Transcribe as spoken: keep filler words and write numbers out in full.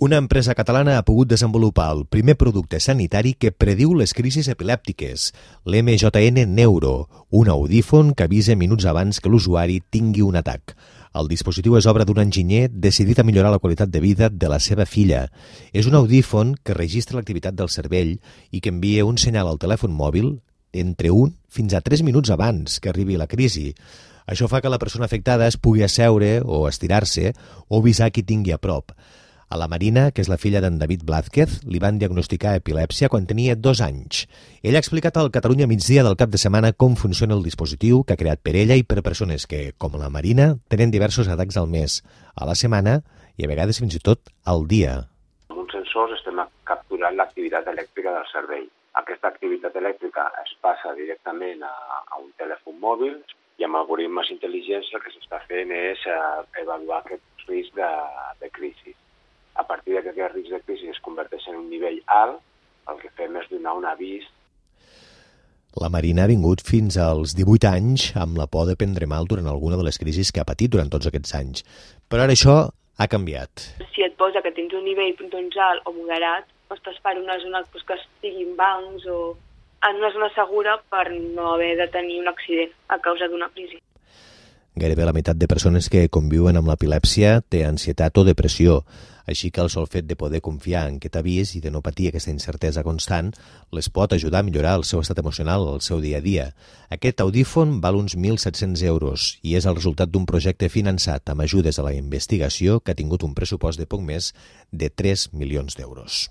Una empresa catalana ha pogut desenvolupar el primer producte sanitari que prediu les crisis epilèptiques, l'M J N Neuro, un audífon que avisa minuts abans que l'usuari tingui un atac. El dispositiu és obra d'un enginyer decidit a millorar la qualitat de vida de la seva filla. És un audífon que registra l'activitat del cervell i que envia un senyal al telèfon mòbil entre un fins a tres minuts abans que arribi la crisi. Això fa que la persona afectada es pugui asseure o estirar-se o avisar qui tingui a prop. A la Marina, que és la filla d'en David Blázquez, li van diagnosticar epilèpsia quan tenia dos anys. Ella ha explicat al Catalunya Migdia del cap de setmana com funciona el dispositiu que ha creat per ella i per persones que, com la Marina, tenen diversos atacs al mes, a la setmana i a vegades fins i tot al dia. Amb uns sensors estem capturant l'activitat elèctrica del cervell. Aquesta activitat elèctrica es passa directament a, a un telèfon mòbil i amb algoritmes intel·ligents el que s'està fent és uh, avaluar aquest risc de, de crisi. A partir que aquest risc de crisi es converteix en un nivell alt, el que fem és donar un avís. La Marina ha vingut fins als divuit anys amb la por de prendre mal durant alguna de les crisis que ha patit durant tots aquests anys. Però ara això ha canviat. Si et posa que tens un nivell doncs, alt o moderat, estàs per una zona doncs, que estiguin bancs o en una zona segura per no haver de tenir un accident a causa d'una crisi. Gairebé la meitat de persones que conviuen amb l'epilèpsia té ansietat o depressió, així que el sol fet de poder confiar en aquest avís i de no patir aquesta incertesa constant les pot ajudar a millorar el seu estat emocional al seu dia a dia. Aquest audífon val uns mil set-cents euros i és el resultat d'un projecte finançat amb ajudes a la investigació que ha tingut un pressupost de poc més de tres milions d'euros.